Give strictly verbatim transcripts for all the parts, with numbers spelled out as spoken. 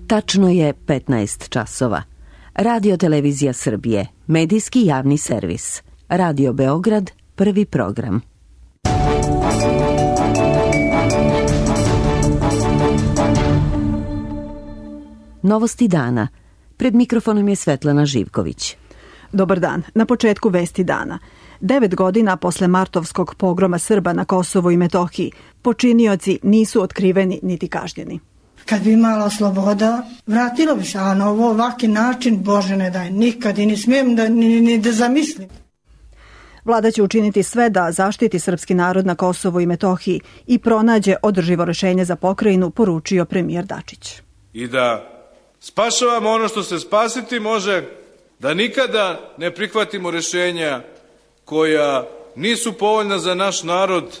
Tačno je petnaest časova. Radio Televizija Srbije, medijski javni servis. Radio Beograd, prvi program. Novosti dana. Pred mikrofonom je Svetlana Živković. Dobar dan. Na početku vesti dana. Devet godina posle martovskog pogroma Srba na Kosovu i Metohiji, počinioci nisu otkriveni niti kažnjeni. Kad bi imala sloboda, vratilo bi se, a na ovo ovaki način, Bože ne daj, nikad i ne smijem da, ni, ni da zamislim. Vlada će učiniti sve da zaštiti srpski narod na Kosovu i Metohiji i pronađe održivo rešenje za pokrajinu, poručio premijer Dačić. I da spašavamo ono što se spasiti može, da nikada ne prihvatimo rešenja koja nisu povoljna za naš narod.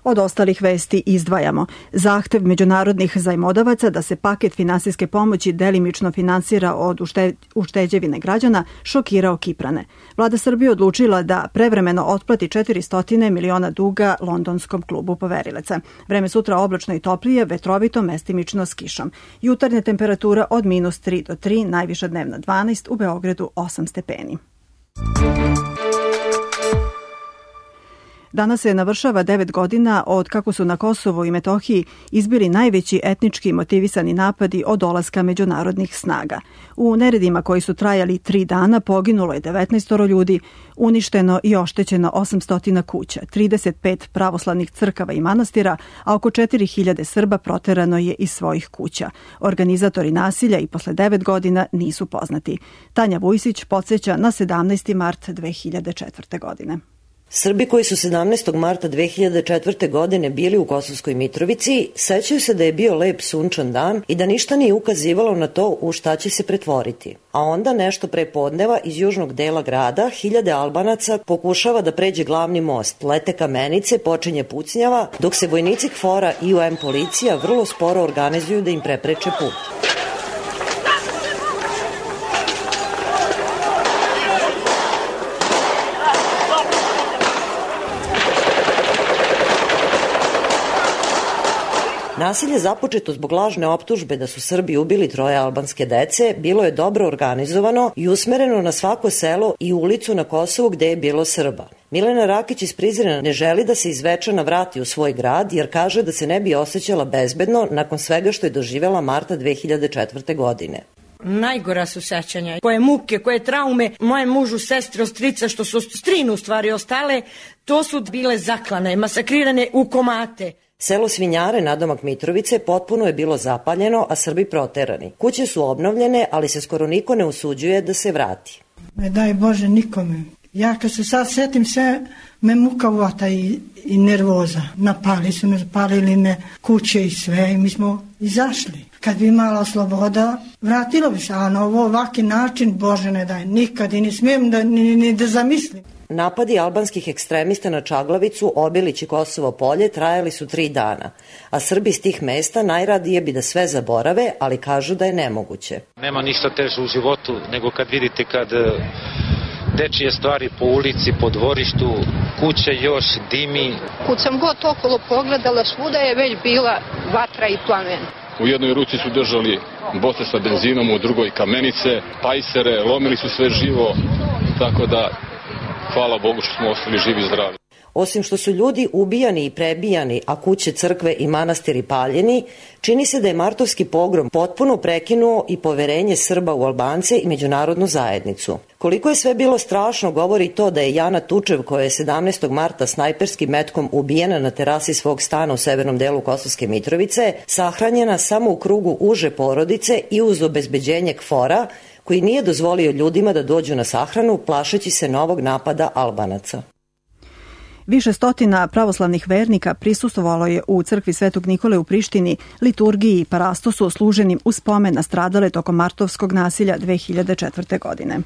Od ostalih vesti izdvajamo zahtev međunarodnih zajmodavaca da se paket finansijske pomoći delimično finansira od ušte, ušteđevine građana šokirao Kiprane. Vlada Srbije odlučila da prevremeno otplati četiristo miliona duga londonskom klubu poverilaca. Vreme sutra oblačno i toplije, vetrovito, mestimično s kišom. Jutarnja temperatura od minus tri do tri, najviša dnevna dvanaest, u Beogradu osam stepeni. Danas se navršava devet godina od kako su na Kosovu i Metohiji izbili najveći etnički motivisani napadi od dolaska međunarodnih snaga. U neredima koji su trajali tri dana poginulo je devetnaest ljudi, uništeno i oštećeno osamsto kuća, trideset pet pravoslavnih crkava i manastira, a oko četiri hiljade Srba proterano je iz svojih kuća. Organizatori nasilja i posle devet godina nisu poznati. Tanja Vujsić podsjeća na sedamnaesti mart dve hiljade četvrte. godine. Srbi koji su sedamnaestog marta dve hiljade četvrte. godine bili u Kosovskoj Mitrovici sećaju se da je bio lep sunčan dan i da ništa nije ukazivalo na to u šta će se pretvoriti. A onda nešto pre podneva iz južnog dela grada hiljade Albanaca pokušava da pređe glavni most. Lete kamenice, počinje pucnjava, dok se vojnici KFOR-a i U M policija vrlo sporo organizuju da im prepreče put. Nasilje započeto zbog lažne optužbe da su Srbi ubili troje albanske dece bilo je dobro organizovano i usmereno na svako selo i ulicu na Kosovu gde je bilo Srba. Milena Rakić iz Prizrena ne želi da se iz Zvečana vrati u svoj grad jer kaže da se ne bi osjećala bezbedno nakon svega što je doživela marta dve hiljade četvrte. godine. Najgora su sećanja, koje muke, koje traume, moje mužu, sestre, ostrica, što su strinu u stvari ostale, to su bile zaklane, masakrirane u komate. Selo Svinjare, nadomak Mitrovice, potpuno je bilo zapaljeno, a Srbi proterani. Kuće su obnovljene, ali se skoro niko ne usuđuje da se vrati. Ne daj Bože nikome. Ja kad se sad setim sve, me muka uvata i, i nervoza. Napali su me, zapalili me kuće i sve i mi smo izašli. Kad bi imala sloboda, vratilo bi se, a na ovo ovaki način, Bože ne daj, nikad i ne smijem da, ni, ni da zamislim. Napadi albanskih ekstremista na Čaglavicu, Obilić i Kosovo polje trajali su tri dana, a Srbi iz tih mesta najradije bi da sve zaborave, ali kažu da je nemoguće. Nema ništa teže u životu nego kad vidite kad dečije stvari po ulici, po dvorištu, kuća još dimi. Kud sam god okolo pogledala, svuda je već bila vatra i plamen. U jednoj ruci su držali boce sa benzinom, u drugoj kamenice, pajsere, lomili su sve živo, tako da hvala Bogu što smo ostali živi i zdravi. Osim što su ljudi ubijani i prebijani, a kuće, crkve i manastiri paljeni, čini se da je martovski pogrom potpuno prekinuo i poverenje Srba u Albance i međunarodnu zajednicu. Koliko je sve bilo strašno govori to da je Jana Tučev, koja je sedamnaestog marta snajperskim metkom ubijena na terasi svog stana u severnom delu Kosovske Mitrovice, sahranjena samo u krugu uže porodice i uz obezbeđenje KFOR-a, koji nije dozvolio ljudima da dođu na sahranu, plašeći se novog napada Albanaca. Više stotina pravoslavnih vernika prisustvovalo je u crkvi Svetog Nikole u Prištini liturgiji i parastosu služenim u spomen na stradale tokom martovskog nasilja dve hiljade četvrte. godine.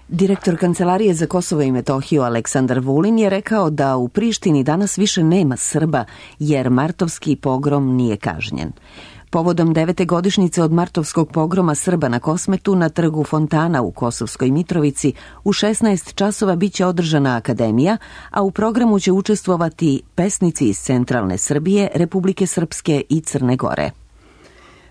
Direktor Kancelarije za Kosovo i Metohiju Aleksandar Vulin je rekao da u Prištini danas više nema Srba jer martovski pogrom nije kažnjen. Povodom devete godišnjice od martovskog pogroma Srba na Kosmetu na trgu Fontana u Kosovskoj Mitrovici u šesnaest časova biće održana akademija, a u programu će učestvovati pesnici iz centralne Srbije, Republike Srpske i Crne Gore.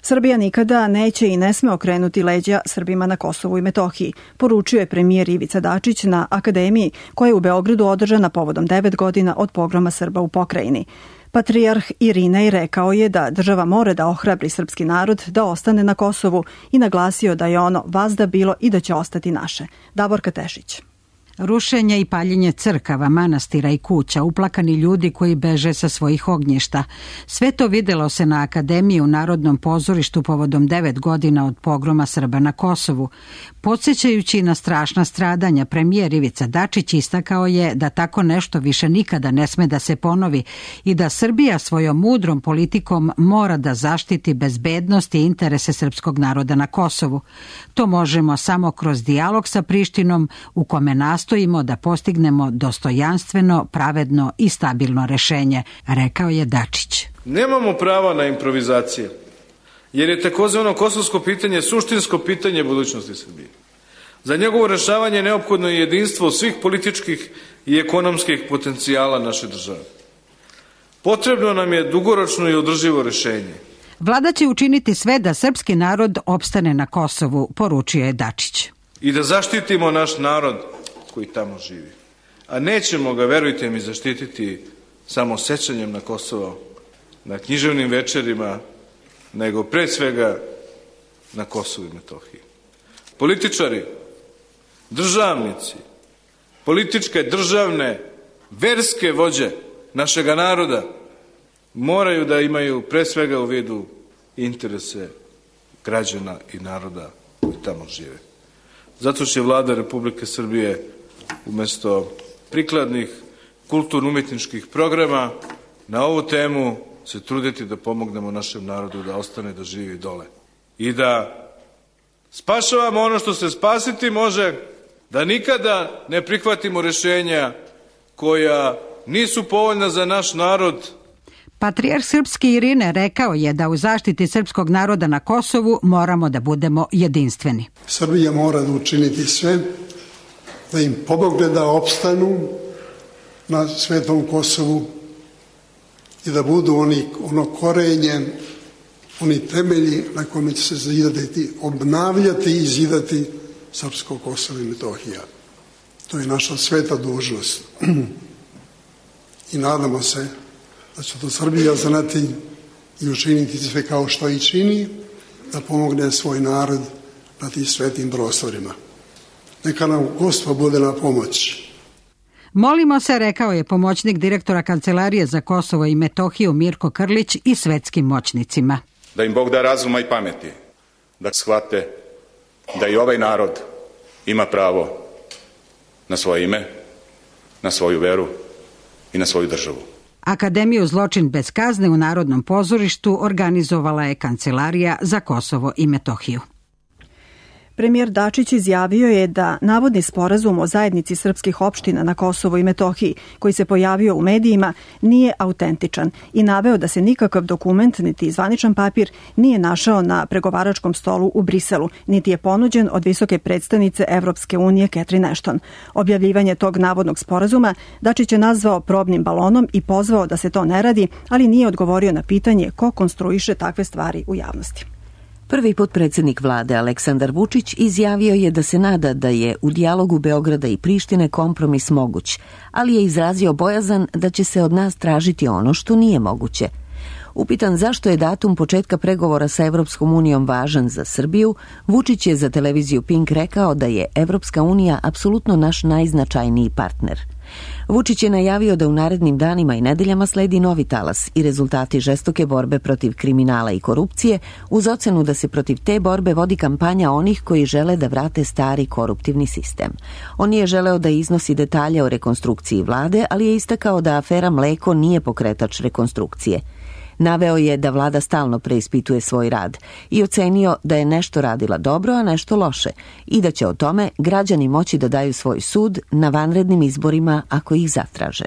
Srbija nikada neće i ne sme okrenuti leđa Srbima na Kosovu i Metohiji, poručio je premijer Ivica Dačić na akademiji koja je u Beogradu održana povodom devet godina od pogroma Srba u pokrajini. Patrijarh Irinej rekao je da država mora da ohrabri srpski narod da ostane na Kosovu i naglasio da je ono vazda bilo i da će ostati naše. Davorka Tešić. Rušenje i paljenje crkava, manastira i kuća, uplakani ljudi koji beže sa svojih ognjišta. Sve to videlo se na Akademiji u Narodnom pozorištu povodom devet godina od pogroma Srba na Kosovu. Podsjećajući na strašna stradanja, premijer Ivica Dačić istakao je da tako nešto više nikada ne sme da se ponovi i da Srbija svojom mudrom politikom mora da zaštiti bezbednost i interese srpskog naroda na Kosovu. To možemo samo kroz dijalog sa Prištinom u kome nastojimo da postignemo dostojanstveno, pravedno i stabilno rešenje, rekao je Dačić. Nemamo prava na improvizacije, jer je takozvano kosovsko pitanje suštinsko pitanje budućnosti Srbije. Za njegovo rešavanje neophodno je jedinstvo svih političkih i ekonomskih potencijala naše države. Potrebno nam je dugoročno i održivo rešenje. Vlada će učiniti sve da srpski narod opstane na Kosovu, poručio je Dačić. I da zaštitimo naš narod koji tamo živi. A nećemo ga, verujte mi, zaštititi samo sećanjem na Kosovo, na književnim večerima, nego pre svega na Kosovu i Metohiji. Političari, državnici, političke, državne, verske vođe našega naroda moraju da imaju pre svega u vidu interese građana i naroda koji tamo žive. Zato će Vlada Republike Srbije umesto prikladnih kulturno-umetničkih programa na ovu temu se truditi da pomognemo našem narodu da ostane da živi dole i da spašavamo ono što se spasiti može, da nikada ne prihvatimo rešenja koja nisu povoljna za naš narod. Patrijarh srpski Irine rekao je da u zaštiti srpskog naroda na Kosovu moramo da budemo jedinstveni. Srbija mora da učiniti sve da im pomogne da opstanu na svetom Kosovu i da budu oni, ono korenje, oni temelji na kome će se zidati, obnavljati i zidati srpsko Kosovo i Metohija. To je naša sveta dužnost. I nadamo se da će to Srbija znati i učiniti sve kao što i čini, da pomogne svoj narod na tim svetim prostorima. Neka nam Gospod bude na pomoć. Molimo se, rekao je pomoćnik direktora Kancelarije za Kosovo i Metohiju Mirko Krlić i svetskim moćnicima. Da im Bog da razuma i pameti, da shvate da i ovaj narod ima pravo na svoje ime, na svoju veru i na svoju državu. Akademiju Zločin bez kazne u Narodnom pozorištu organizovala je Kancelarija za Kosovo i Metohiju. Premijer Dačić izjavio je da navodni sporazum o zajednici srpskih opština na Kosovu i Metohiji, koji se pojavio u medijima, nije autentičan i naveo da se nikakav dokument, niti zvaničan papir, nije našao na pregovaračkom stolu u Briselu, niti je ponuđen od visoke predstavnice Evropske unije Catherine Ashton. Objavljivanje tog navodnog sporazuma Dačić je nazvao probnim balonom i pozvao da se to ne radi, ali nije odgovorio na pitanje ko konstruiše takve stvari u javnosti. Prvi potpredsjednik vlade Aleksandar Vučić izjavio je da se nada da je u dijalogu Beograda i Prištine kompromis moguć, ali je izrazio bojazan da će se od nas tražiti ono što nije moguće. Upitan zašto je datum početka pregovora sa Evropskom unijom važan za Srbiju, Vučić je za televiziju Pink rekao da je Evropska unija apsolutno naš najznačajniji partner. Vučić je najavio da u narednim danima i nedeljama sledi novi talas i rezultati žestoke borbe protiv kriminala i korupcije, uz ocenu da se protiv te borbe vodi kampanja onih koji žele da vrate stari koruptivni sistem. On je želeo da iznosi detalje o rekonstrukciji vlade, ali je istakao da afera Mleko nije pokretač rekonstrukcije. Naveo je da vlada stalno preispituje svoj rad i ocenio da je nešto radila dobro, a nešto loše i da će o tome građani moći da daju svoj sud na vanrednim izborima ako ih zatraže.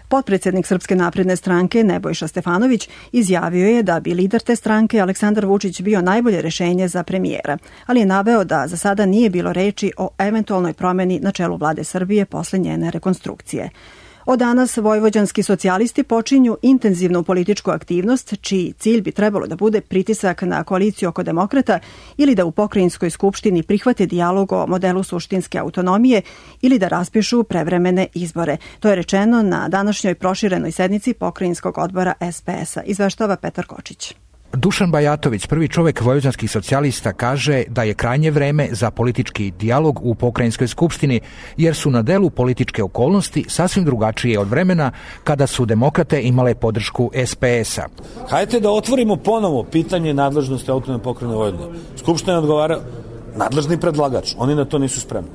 Potpredsjednik Srpske napredne stranke Nebojša Stefanović izjavio je da bi lider te stranke Aleksandar Vučić bio najbolje rešenje za premijera, ali je naveo da za sada nije bilo reči o eventualnoj promeni na čelu vlade Srbije posle njene rekonstrukcije. Od danas vojvođanski socijalisti počinju intenzivnu političku aktivnost, čiji cilj bi trebalo da bude pritisak na koaliciju oko demokrata ili da u pokrajinskoj skupštini prihvate dijalog o modelu suštinske autonomije ili da raspišu prevremene izbore. To je rečeno na današnjoj proširenoj sednici pokrajinskog odbora S P S-a, izveštava Petar Kočić. Dušan Bajatović, prvi čovjek vojvođanskih socijalista, kaže da je krajnje vreme za politički dijalog u pokrajinskoj skupštini, jer su na delu političke okolnosti sasvim drugačije od vremena kada su demokrate imale podršku S P S-a. Hajde da otvorimo ponovo pitanje nadležnosti autonomne pokrajine Vojvodine. Skupština odgovara nadležni predlagač, oni na to nisu spremni.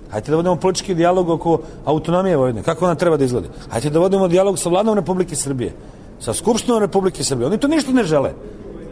Hajde da vodimo politički dijalog oko autonomije Vojvodine, kako ona treba da izgleda. Hajde da vodimo dijalog sa vladom Republike Srbije, sa Skupštinom Republike Srbije. Oni to ništa ne žele.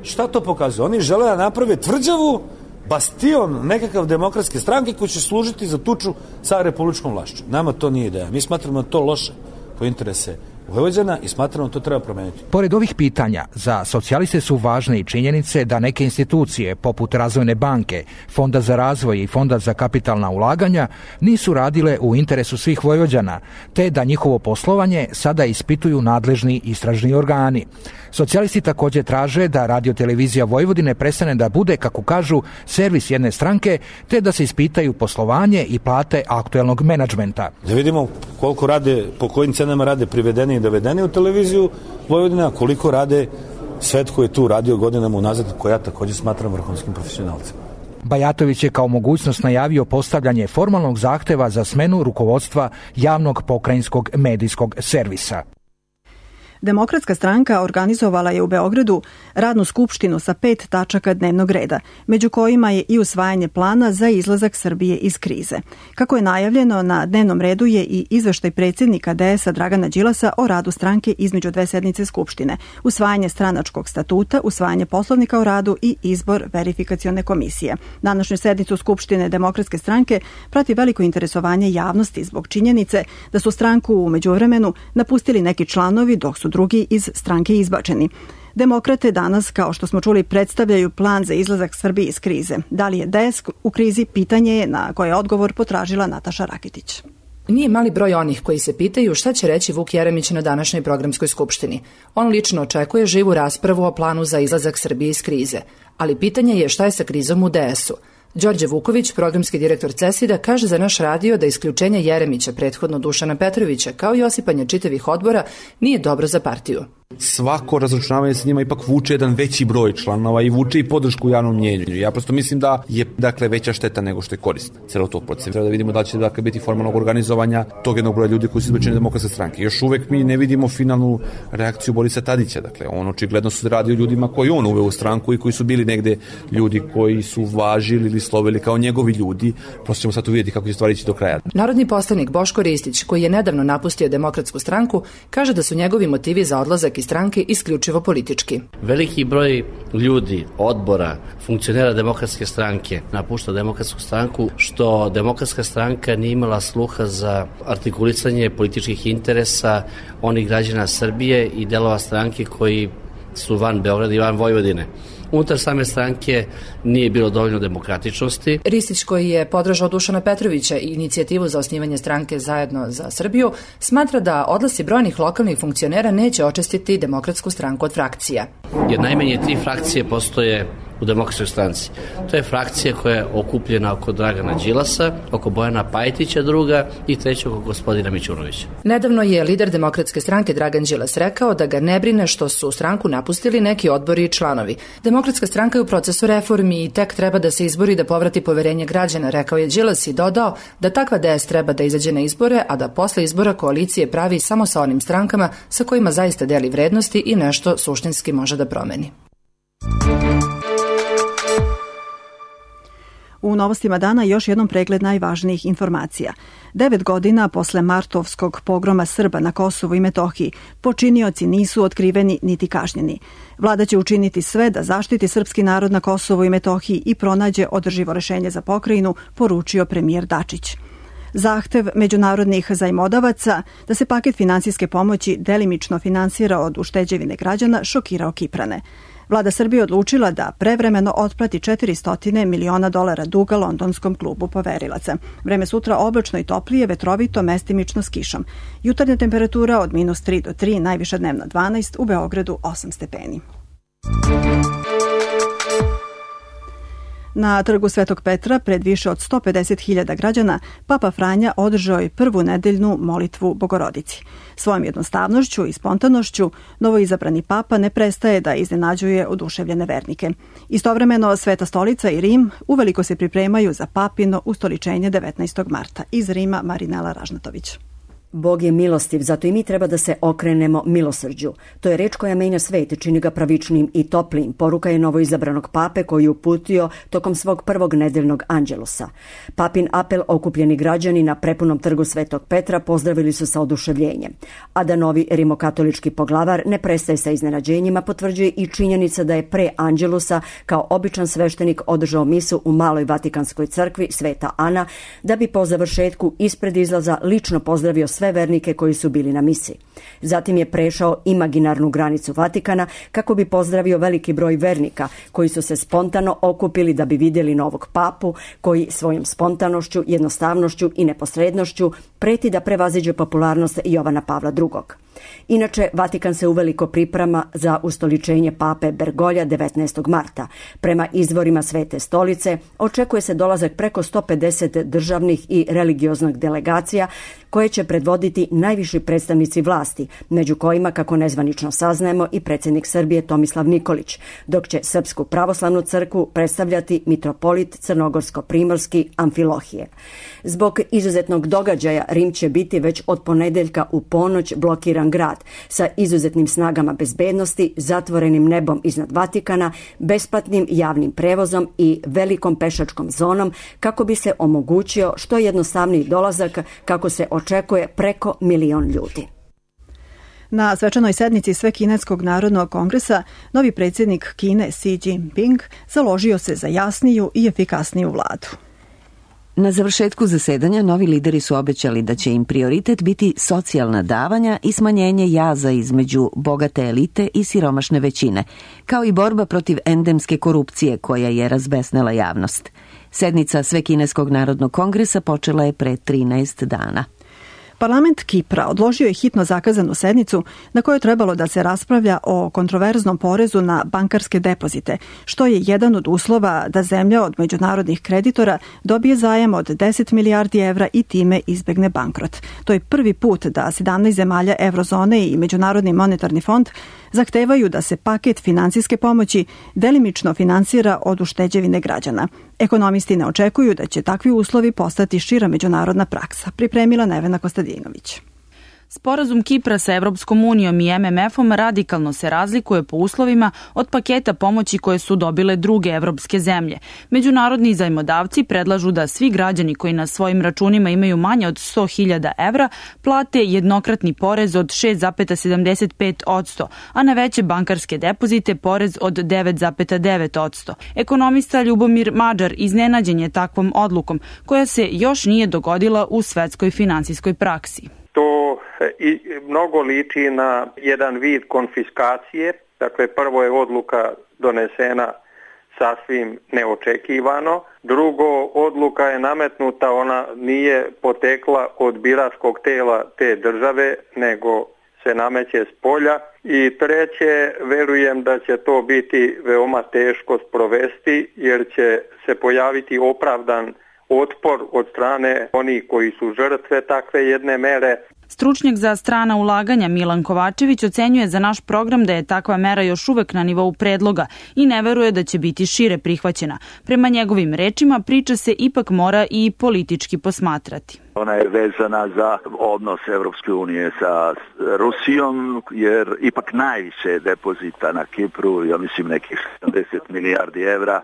Šta to pokazuje? Oni žele da naprave tvrđavu, bastion nekakav demokratske stranke koji će služiti za tuču sa republičkom vlašću. Nama to nije ideja. Mi smatramo da to loše po interese Vojvođana i smatramo da to treba promeniti. Pored ovih pitanja, za socijaliste su važne i činjenice da neke institucije, poput Razvojne banke, Fonda za razvoj i Fonda za kapitalna ulaganja, nisu radile u interesu svih Vojvođana, te da njihovo poslovanje sada ispituju nadležni istražni organi. Socijalisti također traže da radiotelevizija Vojvodine prestane da bude, kako kažu, servis jedne stranke, te da se ispitaju poslovanje i plate aktuelnog menadžmenta. Da vidimo koliko rade, po kojim cenama rade privedeni i dovedeni u televiziju Vojvodina, koliko rade svet koji je tu radio godinama unazad, koja ja također smatram vrhunskim profesionalcima. Bajatović je kao mogućnost najavio postavljanje formalnog zahteva za smenu rukovodstva javnog pokrajinskog medijskog servisa. Demokratska stranka organizovala je u Beogradu radnu skupštinu sa pet tačaka dnevnog reda, među kojima je i usvajanje plana za izlazak Srbije iz krize. Kako je najavljeno, na dnevnom redu je i izveštaj predsjednika D S-a Dragana Đilasa o radu stranke između dve sednice skupštine, usvajanje stranačkog statuta, usvajanje poslovnika o radu i izbor verifikacione komisije. Današnju sednicu Skupštine Demokratske stranke prati veliko interesovanje javnosti zbog činjenice da su stranku u međuvremenu napustili neki članovi, dok su drugi iz stranke izbačeni. Demokrate danas, kao što smo čuli, predstavljaju plan za izlazak Srbije iz krize. Da li je D S u krizi, pitanje je na koje odgovor potražila Nataša Rakitić. Nije mali broj onih koji se pitaju šta će reći Vuk Jeremić na današnjoj programskoj skupštini. On lično očekuje živu raspravu o planu za izlazak Srbije iz krize. Ali pitanje je šta je sa krizom u D S-u. Đorđe Vuković, programski direktor CESID-a, kaže za naš radio da isključenje Jeremića, prethodno Dušana Petrovića, kao i osipanje čitavih odbora, nije dobro za partiju. Svako razračunavanje sa njima ipak vuče jedan veći broj članova i vuče i podršku u javnom mnjenju. Ja prosto mislim da je dakle veća šteta nego što je korist celog tog procesa. Treba da vidimo da li će dakle biti formalnog organizovanja tog jednog broja ljudi koji su izbačeni Demokratske stranke. Još uvek mi ne vidimo finalnu reakciju Borisa Tadića. Dakle, on očigledno se radi o ljudima koji on uveo u stranku i koji su bili negde ljudi koji su važili ili slovili kao njegovi ljudi. Prosto ćemo sad uvidjeti kako će stvari ići do kraja. Narodni poslanik Boško Ristić, koji je nedavno napustio Demokratsku stranku, kaže da su njegovi motivi za odlazak iz stranke isključivo politički. Veliki broj ljudi, odbora, funkcionera Demokratske stranke napušta Demokratsku stranku, što Demokratska stranka nije imala sluha za artikulisanje političkih interesa onih građana Srbije i delova stranke koji su van Beograda i van Vojvodine. Unutar same stranke nije bilo dovoljno demokratičnosti. Ristić, koji je podržao Dušana Petrovića i inicijativu za osnivanje stranke Zajedno za Srbiju, smatra da odlasci brojnih lokalnih funkcionera neće očistiti Demokratsku stranku od frakcija. Jer najmanje tri frakcije postoje u Demokratskoj stranci. To je frakcija koja je okupljena oko Dragana Đilasa, oko Bojana Pajtića druga i treća oko gospodina Mićunovića. Nedavno je lider Demokratske stranke Dragan Đilas rekao da ga ne brine što su stranku napustili neki odbori i članovi. Demokratska stranka je u procesu reformi i tek treba da se izbori da povrati poverenje građana, rekao je Đilas i dodao da takva D S treba da izađe na izbore, a da posle izbora koalicije pravi samo sa onim strankama sa kojima zaista deli vrednosti i nešto suštinski može da promeni. U novostima dana još jednom pregled najvažnijih informacija. Devet godina posle martovskog pogroma Srba na Kosovu i Metohiji počinioci nisu otkriveni niti kažnjeni. Vlada će učiniti sve da zaštiti srpski narod na Kosovu i Metohiji i pronađe održivo rešenje za pokrajinu, poručio premijer Dačić. Zahtev međunarodnih zajmodavaca da se paket finansijske pomoći delimično finansira od ušteđevine građana šokirao Kiprane. Vlada Srbije odlučila da prevremeno otplati četiristo miliona dolara duga londonskom klubu poverilaca. Vreme sutra oblačno i toplije, vetrovito, mestimično s kišom. Jutarnja temperatura od minus tri do tri, najviša dnevna dvanaest, u Beogradu osam stepeni. Na trgu Svetog Petra, pred više od sto pedeset hiljada građana, Papa Franja održao je prvu nedeljnu molitvu Bogorodici. Svojom jednostavnošću i spontanošću, novoizabrani papa ne prestaje da iznenađuje oduševljene vernike. Istovremeno, Sveta stolica i Rim uveliko se pripremaju za papino ustoličenje devetnaestog marta. Iz Rima Marinela Ražnatović. Bog je milostiv, zato i mi treba da se okrenemo milosrđu. To je reč koja menja svet, čini ga pravičnim i toplim. Poruka je novoizabranog pape koji je uputio tokom svog prvog nedeljnog anđelusa. Papin apel okupljeni građani na prepunom trgu Svetog Petra pozdravili su sa oduševljenjem. A da novi rimokatolički poglavar ne prestaje sa iznenađenjima, potvrđuje i činjenica da je pre anđelusa kao običan sveštenik održao misu u Maloj Vatikanskoj crkvi Sveta Ana, da bi po završetku ispred izlaza lično pozdravio sve vernike koji su bili na misi. Zatim je prešao imaginarnu granicu Vatikana kako bi pozdravio veliki broj vernika koji su se spontano okupili da bi vidjeli novog papu koji svojom spontanošću, jednostavnošću i neposrednošću preti da prevaziđe popularnost Jovana Pavla drugog. Inače, Vatikan se uveliko priprema za ustoličenje pape Bergolja devetnaestog marta. Prema izvorima Svete stolice, očekuje se dolazak preko sto pedeset državnih i religioznih delegacija koje će predvoditi najviši predstavnici vlasti, među kojima, kako nezvanično saznajemo, i predsjednik Srbije Tomislav Nikolić, dok će Srpsku pravoslavnu crkvu predstavljati mitropolit crnogorsko-primorski Amfilohije. Zbog izuzetnog događaja Rim će biti već od ponedeljka u ponoć blokiran grad sa izuzetnim snagama bezbednosti, zatvorenim nebom iznad Vatikana, besplatnim javnim prevozom i velikom pešačkom zonom kako bi se omogućio što jednostavniji dolazak, kako se očekuje preko milion ljudi. Na svečanoj sednici Svekineskog narodnog kongresa novi predsjednik Kine Xi Jinping založio se za jasniju i efikasniju vladu. Na završetku zasedanja novi lideri su obećali da će im prioritet biti socijalna davanja i smanjenje jaza između bogate elite i siromašne većine, kao i borba protiv endemske korupcije koja je razbesnela javnost. Sednica Svekineskog narodnog kongresa počela je pre trinaest dana. Parlament Kipra odložio je hitno zakazanu sednicu na kojoj je trebalo da se raspravlja o kontroverznom porezu na bankarske depozite, što je jedan od uslova da zemlja od međunarodnih kreditora dobije zajam od deset milijardi evra i time izbegne bankrot. To je prvi put da sedamnaest zemalja Eurozone i Međunarodni monetarni fond zahtevaju da se paket finansijske pomoći delimično finansira od ušteđevine građana. Ekonomisti ne očekuju da će takvi uslovi postati šira međunarodna praksa, pripremila Nevena Kostadinović. Sporazum Kipra sa Evropskom unijom i M M F-om radikalno se razlikuje po uslovima od paketa pomoći koje su dobile druge evropske zemlje. Međunarodni zajmodavci predlažu da svi građani koji na svojim računima imaju manje od sto hiljada evra plate jednokratni porez od šest zarez sedamdeset pet posto, a na veće bankarske depozite porez od devet zarez devet posto. Ekonomista Ljubomir Mađar iznenađen je takvom odlukom, koja se još nije dogodila u svetskoj finansijskoj praksi. To i mnogo liči na jedan vid konfiskacije. Dakle, prvo je odluka donesena sasvim neočekivano. Drugo, odluka je nametnuta, ona nije potekla od biračkog tela te države, nego se nameće s polja. I treće, verujem da će to biti veoma teško sprovesti, jer će se pojaviti opravdan otpor od strane onih koji su žrtve takve jedne mere. Stručnjak za strana ulaganja Milan Kovačević ocenjuje za naš program da je takva mera još uvek na nivou predloga i ne veruje da će biti šire prihvaćena. Prema njegovim rečima, priča se ipak mora i politički posmatrati. Ona je vezana za odnos Evropske unije sa Rusijom, jer ipak najviše depozita na Kipru, ja mislim nekih sedamdeset milijardi evra,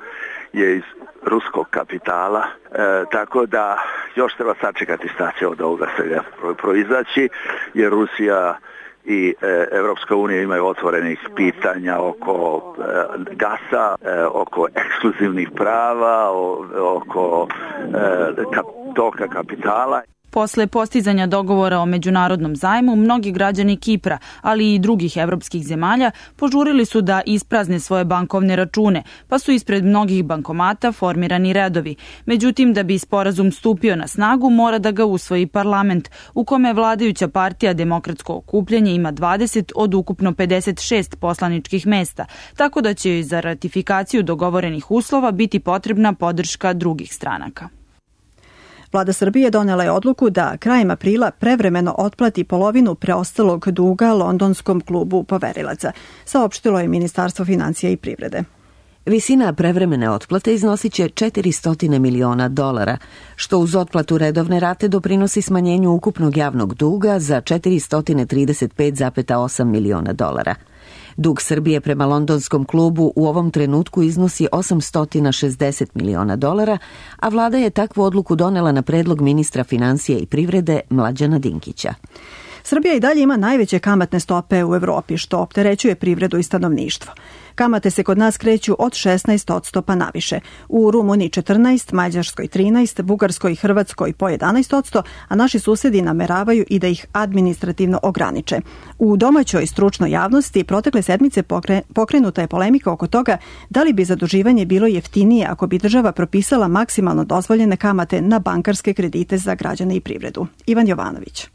je iz ruskog kapitala, e, tako da još treba sačekati šta će od ovoga svega proizaći, jer Rusija i e, Evropska unija imaju otvorenih pitanja oko e, gasa, e, oko ekskluzivnih prava, o, oko e, kap, toka kapitala. Posle postizanja dogovora o međunarodnom zajmu, mnogi građani Kipra, ali i drugih evropskih zemalja, požurili su da isprazne svoje bankovne račune, pa su ispred mnogih bankomata formirani redovi. Međutim, da bi sporazum stupio na snagu, mora da ga usvoji parlament, u kome vladajuća partija Demokratsko okupljanje ima dvadeset od ukupno pedeset šest poslaničkih mesta, tako da će joj za ratifikaciju dogovorenih uslova biti potrebna podrška drugih stranaka. Vlada Srbije donela je odluku da krajem aprila prevremeno otplati polovinu preostalog duga londonskom klubu poverilaca, saopštilo je Ministarstvo finansija i privrede. Visina prevremene otplate iznosit će četiristo miliona dolara, što uz otplatu redovne rate doprinosi smanjenju ukupnog javnog duga za četiristo trideset pet zarez osam miliona dolara. Dug Srbije prema londonskom klubu u ovom trenutku iznosi osamsto šezdeset miliona dolara, a vlada je takvu odluku donela na predlog ministra finansija i privrede Mlađana Dinkića. Srbija i dalje ima najveće kamatne stope u Evropi, što opterećuje privredu i stanovništvo. Kamate se kod nas kreću od šesnaest odsto pa naviše. U Rumuniji četrnaest, Mađarskoj trinaest, Bugarskoj i Hrvatskoj po jedanaest odsto, a naši susedi nameravaju i da ih administrativno ograniče. U domaćoj stručnoj javnosti protekle sedmice pokrenuta je polemika oko toga da li bi zaduživanje bilo jeftinije ako bi država propisala maksimalno dozvoljene kamate na bankarske kredite za građane i privredu. Ivan Jovanović.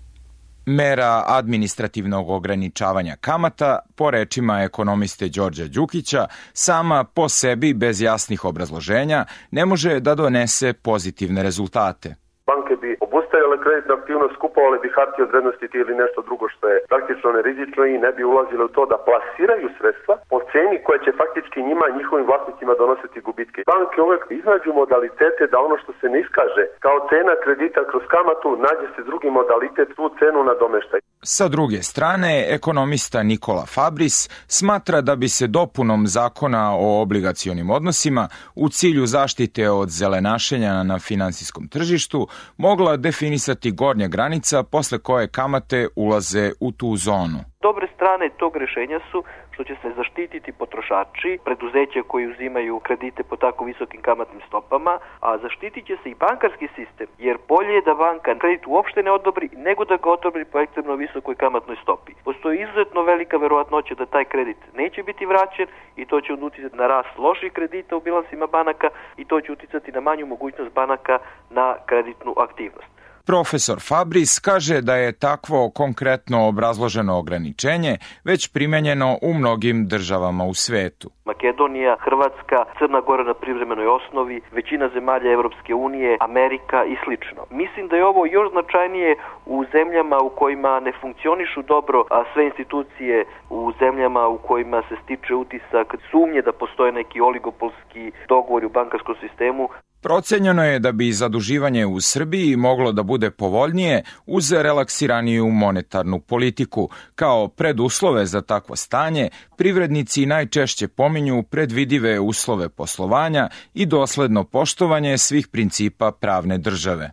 Mera administrativnog ograničavanja kamata, po rečima ekonomiste Đorđa Đukića, sama po sebi bez jasnih obrazloženja ne može da donese pozitivne rezultate. Banke bi obustavile kreditnu aktivnost, kupovale bi hartije od vrednosti ili nešto drugo što je praktično nerizično i ne bi ulazile u to da plasiraju sredstva po ceni koja će faktički njima i njihovim vlasnicima donositi gubitke. Banke uvek iznađu modalitete da ono što se ne iskaže kao cena kredita kroz kamatu, nađe se drugi modalitet, tu cenu nadomeštaj. Sa druge strane, ekonomista Nikola Fabris smatra da bi se dopunom zakona o obligacionim odnosima u cilju zaštite od zelenašenja na finansijskom tržištu mogla definisati gornja granica posle koje kamate ulaze u tu zonu. Dobre strane tog rešenja su što će se zaštititi potrošači, preduzeća koji uzimaju kredite po tako visokim kamatnim stopama, a zaštitit će se i bankarski sistem, jer bolje je da banka kredit uopšte ne odobri, nego da ga odobri po ekstremno visokoj kamatnoj stopi. Postoji izuzetno velika verovatnoća da taj kredit neće biti vraćen i to će uticati na rast loših kredita u bilansima banaka i to će uticati na manju mogućnost banaka na kreditnu aktivnost. Profesor Fabris kaže da je takvo konkretno obrazloženo ograničenje već primenjeno u mnogim državama u svetu. Makedonija, Hrvatska, Crna Gora na privremenoj osnovi, većina zemalja Evropske unije, Amerika i slično. Mislim da je ovo još značajnije u zemljama u kojima ne funkcionišu dobro a sve institucije, u zemljama u kojima se stiče utisak sumnje da postoje neki oligopolski dogovori u bankarskom sistemu. Procenjeno je da bi zaduživanje u Srbiji moglo da bude povoljnije uz relaksiraniju monetarnu politiku. Kao preduslove za takvo stanje, privrednici najčešće pominju predvidive uslove poslovanja i dosledno poštovanje svih principa pravne države.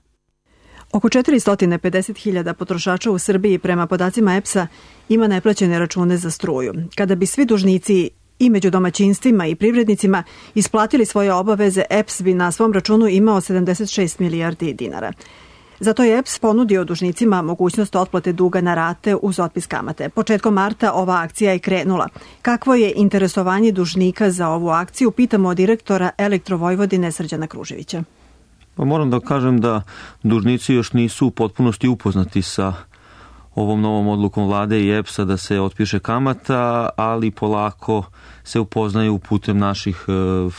Oko četiristo pedeset hiljada potrošača u Srbiji prema podacima E P S-a ima neplaćene račune za struju. Kada bi svi dužnici i među domaćinstvima i privrednicima isplatili svoje obaveze, E P S bi na svom računu imao sedamdeset šest milijardi dinara. Zato je E P S ponudio dužnicima mogućnost otplate duga na rate uz otpis kamate. Početkom marta ova akcija je krenula. Kakvo je interesovanje dužnika za ovu akciju, pitamo direktora Elektrovojvodine Srđana Kruževića. Pa moram da kažem da dužnici još nisu u potpunosti upoznati sa ovom novom odlukom vlade i E P S-a da se otpiše kamata, ali polako se upoznaju putem naših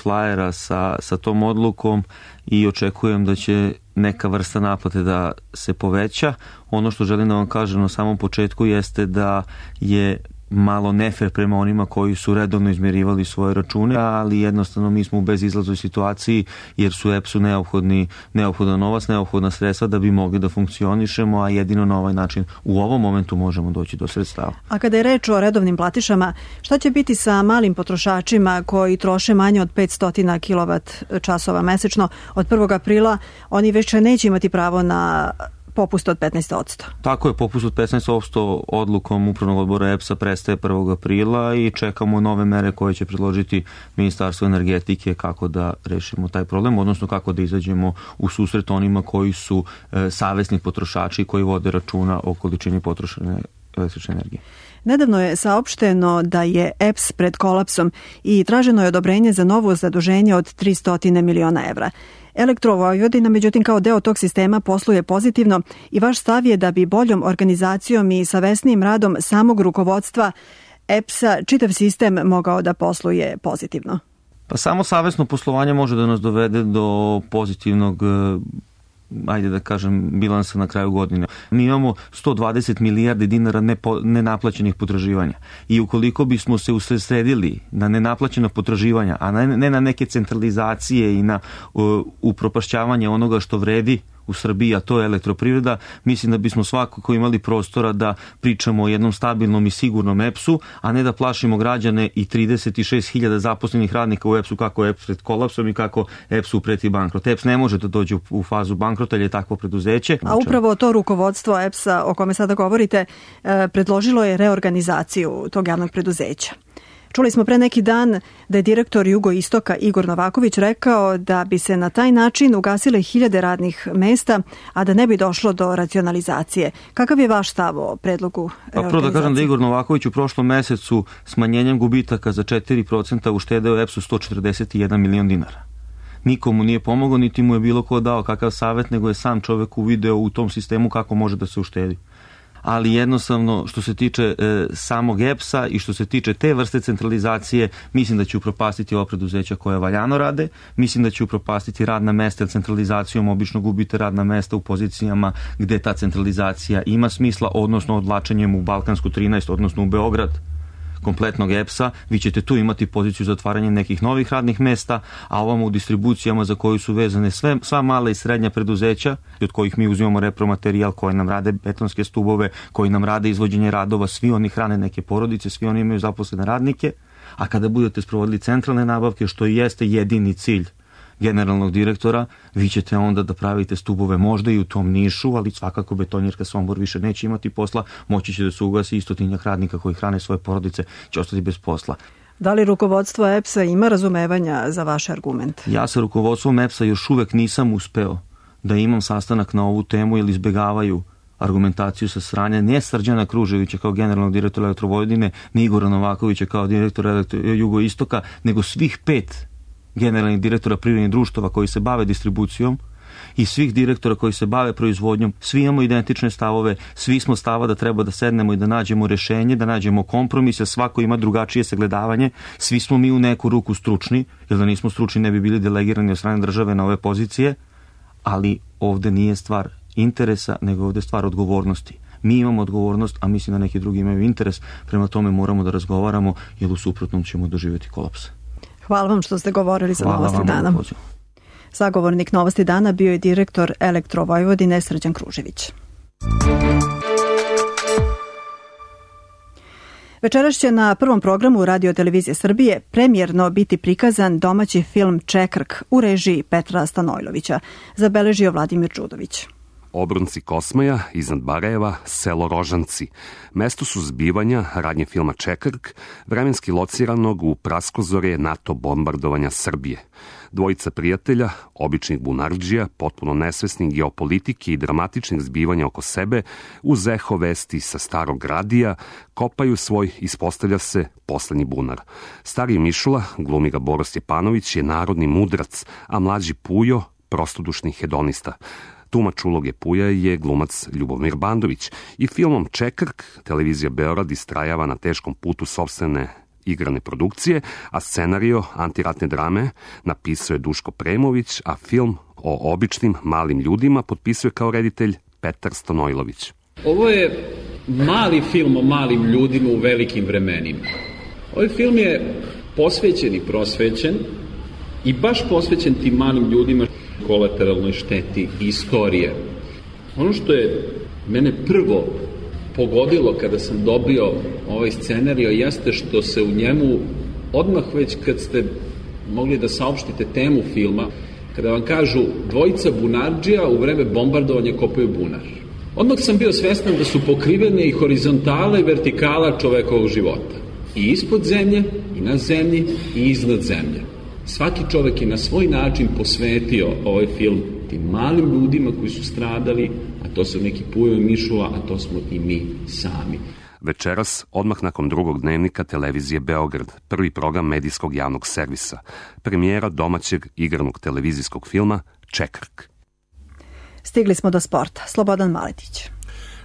flajera sa, sa tom odlukom i očekujem da će neka vrsta naplate da se poveća. Ono što želim da vam kažem na samom početku jeste da je malo nefer prema onima koji su redovno izmjerivali svoje račune, ali jednostavno mi smo u bezizlaznoj situaciji jer su E P S-u neophodni, neophodan novac, neophodna sredstva da bi mogli da funkcionišemo, a jedino na ovaj način u ovom momentu možemo doći do sredstava. A kada je reč o redovnim platišama, šta će biti sa malim potrošačima koji troše manje od petsto kilovat časova mesečno? Od prvog aprila oni već neće imati pravo na popust od petnaest posto. Tako je, popust od petnaest posto odlukom Upravnog odbora E P S-a prestaje prvog aprila i čekamo nove mere koje će predložiti Ministarstvo energetike kako da rešimo taj problem, odnosno kako da izađemo u susret onima koji su e, savesni potrošači koji vode računa o količini potrošene električne energije. Nedavno je saopšteno da je E P S pred kolapsom i traženo je odobrenje za novo zaduženje od tristo miliona evra. Elektrovojvodina, međutim, kao deo tog sistema posluje pozitivno i vaš stav je da bi boljom organizacijom i savesnijim radom samog rukovodstva E P S-a čitav sistem mogao da posluje pozitivno. Pa samo savesno poslovanje može da nas dovede do pozitivnog, ajde da kažem, bilansa na kraju godine. Mi imamo sto dvadeset milijardi dinara nepo, nenaplaćenih potraživanja i ukoliko bismo se usredsredili na nenaplaćena potraživanja, a ne, ne na neke centralizacije i na uh, upropašćavanje onoga što vredi u Srbiji, a to je elektroprivreda, mislim da bismo svakako imali prostora da pričamo o jednom stabilnom i sigurnom E P S-u, a ne da plašimo građane i trideset šest hiljada zaposlenih radnika u E P S-u kako je E P S pred kolapsom i kako E P S-u preti bankrot. E P S ne može da dođe u fazu bankrota, jer je takvo preduzeće. A upravo to rukovodstvo E P S-a o kome sada govorite predložilo je reorganizaciju tog javnog preduzeća. Čuli smo pre neki dan da je direktor Jugoistoka Igor Novaković rekao da bi se na taj način ugasile hiljade radnih mesta, a da ne bi došlo do racionalizacije. Kakav je vaš stav o predlogu reorganizacije? Pa prvo da kažem da Igor Novaković u prošlom mesecu smanjenjem gubitaka za četiri procenta uštedeo E P S-u sto četrdeset jedan milion dinara. Nikomu nije pomogao, niti mu je bilo ko dao kakav savjet, nego je sam čovek uvideo u tom sistemu kako može da se uštedi. Ali jednostavno što se tiče e, samog E P S-a i što se tiče te vrste centralizacije, mislim da će upropastiti ova preduzeća koja valjano rade, mislim da će upropastiti radna mesta, jer centralizacijom obično gubite radna mesta u pozicijama gde ta centralizacija ima smisla, odnosno odlačenjem u Balkansku trinaest, odnosno u Beograd kompletnog E P S-a, vi ćete tu imati poziciju za otvaranje nekih novih radnih mesta, a ovamo u distribucijama za koju su vezane sve, sva mala i srednja preduzeća, od kojih mi uzimamo repromaterijal, koji nam rade betonske stubove, koji nam rade izvođenje radova, svi oni hrane neke porodice, svi oni imaju zaposlene radnike, a kada budete sprovodili centralne nabavke, što i jeste jedini cilj generalnog direktora, vi ćete onda da pravite stubove možda i u tom Nišu, ali svakako betonjerka Sombor više neće imati posla, moći će da se ugasi istotinjak radnika koji hrane svoje porodice, će ostati bez posla. Da li rukovodstvo E P S-a ima razumevanja za vaš argument? Ja sa rukovodstvom E P S-a još uvek nisam uspeo da imam sastanak na ovu temu, jer izbegavaju argumentaciju sa strane ne Srđana Kruževića kao generalnog direktora Elektrovojvodine, ni Igora Novakovića kao direktora Elektro... Jugoistoka, nego svih pet generalnih direktora privrednih društava koji se bave distribucijom i svih direktora koji se bave proizvodnjom. Svi imamo identične stavove, svi smo stava da treba da sednemo i da nađemo rešenje, da nađemo kompromise, svako ima drugačije sagledavanje, svi smo mi u neku ruku stručni, jer da nismo stručni ne bi bili delegirani od strane države na ove pozicije, ali ovde nije stvar interesa, nego ovde je stvar odgovornosti. Mi imamo odgovornost, a mislim da neki drugi imaju interes, prema tome moramo da razgovaramo, jer u suprotnom ćemo doživjeti kolaps. Hvala vam što ste govorili za Hvala Novosti dana. Sagovornik Novosti dana bio je direktor Elektrovojvodine Srđan Kružević. Večeras će na prvom programu Radio televizije Srbije premijerno biti prikazan domaći film Čekrk u režiji Petra Stanojlovića, zabeležio Vladimir Đudović. Obronci Kosmaja, iznad Barajeva, selo Rožanci. Mesto su zbivanja radnje filma Čekrk, vremenski lociranog u praskozorje NATO bombardovanja Srbije. Dvojica prijatelja, običnih bunardžija, potpuno nesvesnih geopolitike i dramatičnih zbivanja oko sebe, uz eho vesti sa starog radija, kopaju svoj, ispostavlja se, poslednji bunar. Stari Mišula, glumi ga Boro Stjepanović, je narodni mudrac, a mlađi Pujo, prostodušni hedonista. Tumač uloge Puja je glumac Ljubomir Bandović i filmom Čekrk televizija Beograd istrajava na teškom putu sopstvene igrane produkcije, a scenario antiratne drame napisao je Duško Premović, a film o običnim malim ljudima potpisuje kao reditelj Petar Stanojlović. Ovo je mali film o malim ljudima u velikim vremenima. Ovaj film je posvećen i prosvećen i baš posvećen tim malim ljudima, kolateralnoj šteti istorije. Ono što je mene prvo pogodilo kada sam dobio ovaj scenario jeste što se u njemu odmah već kad ste mogli da saopštite temu filma, kada vam kažu dvojica bunardžija u vreme bombardovanja kopaju bunar. Odmah sam bio svestan da su pokrivene i horizontala i vertikala čovekovog života. I ispod zemlje, i na zemlji, i iznad zemlje. Svaki čovek je na svoj način posvetio ovaj film tim malim ljudima koji su stradali, a to su neki Pujo i Mišula, a to smo i mi sami. Večeras, odmah nakon drugog dnevnika televizije Beograd, prvi program medijskog javnog servisa, premijera domaćeg igranog televizijskog filma Čekrk. Stigli smo do sporta. Slobodan Maletić.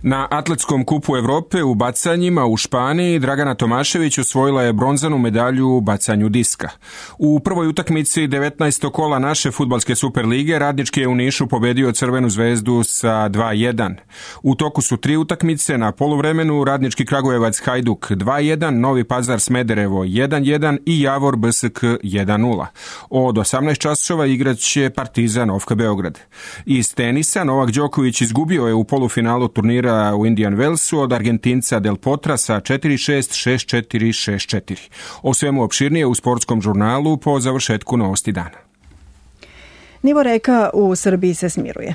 Na atletskom kupu Evrope u bacanjima u Španiji Dragana Tomašević osvojila je bronzanu medalju u bacanju diska. U prvoj utakmici devetnaestog kola naše fudbalske Superlige Radnički je u Nišu pobedio Crvenu zvezdu sa dva jedan. U toku su tri utakmice, na poluvremenu Radnički Kragujevac Hajduk dva jedan, Novi Pazar Smederevo jedan jedan i Javor B S K jedan nula. Od osamnaest časova igraće Partizan Ofka Beograd. Iz tenisa Novak Đoković izgubio je u polufinalu turnira u Indian Wellsu od Argentinca Del Potra sa četiri šest, šest četiri, šest četiri. O svemu opširnije u sportskom žurnalu po završetku novosti dana. Nivo reka u Srbiji se smiruje.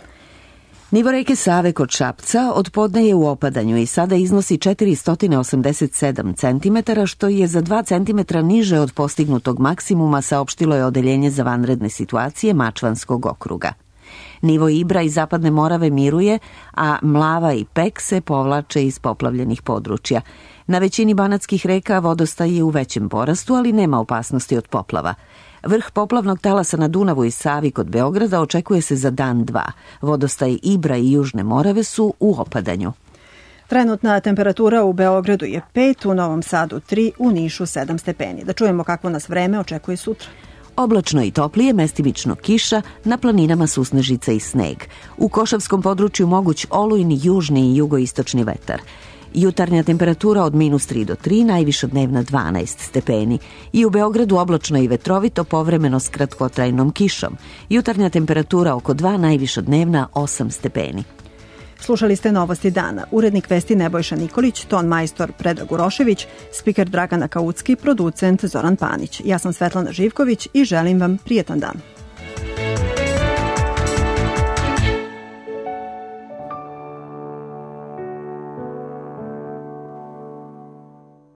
Nivo reke Save kod Šapca od podne je u opadanju i sada iznosi četiristo osamdeset sedam centimetara, što je za dva centimetra niže od postignutog maksimuma, saopštilo je Odeljenje za vanredne situacije Mačvanskog okruga. Nivo Ibra i Zapadne Morave miruje, a Mlava i Pek se povlače iz poplavljenih područja. Na većini banatskih reka vodostaj je u većem porastu, ali nema opasnosti od poplava. Vrh poplavnog talasa na Dunavu i Savi kod Beograda očekuje se za dan dva. Vodostaj Ibra i Južne Morave su u opadanju. Trenutna temperatura u Beogradu je pet, u Novom Sadu tri, u Nišu sedam stepeni. Da čujemo kakvo nas vreme očekuje sutra. Oblačno i toplije, mestimično kiša, na planinama susnežica i sneg. U Košavskom području moguć olujni južni i jugoistočni vetar. Jutarnja temperatura od minus tri do tri, najviša dnevna dvanaest stepeni. I u Beogradu oblačno i vetrovito, povremeno s kratkotrajnom kišom. Jutarnja temperatura oko dva, najviša dnevna osam stepeni. Slušali ste Novosti dana. Urednik vesti Nebojša Nikolić, ton majstor Predrag Urošević, spiker Dragana Kaucki, producent Zoran Panić. Ja sam Svetlana Živković i želim vam prijetan dan.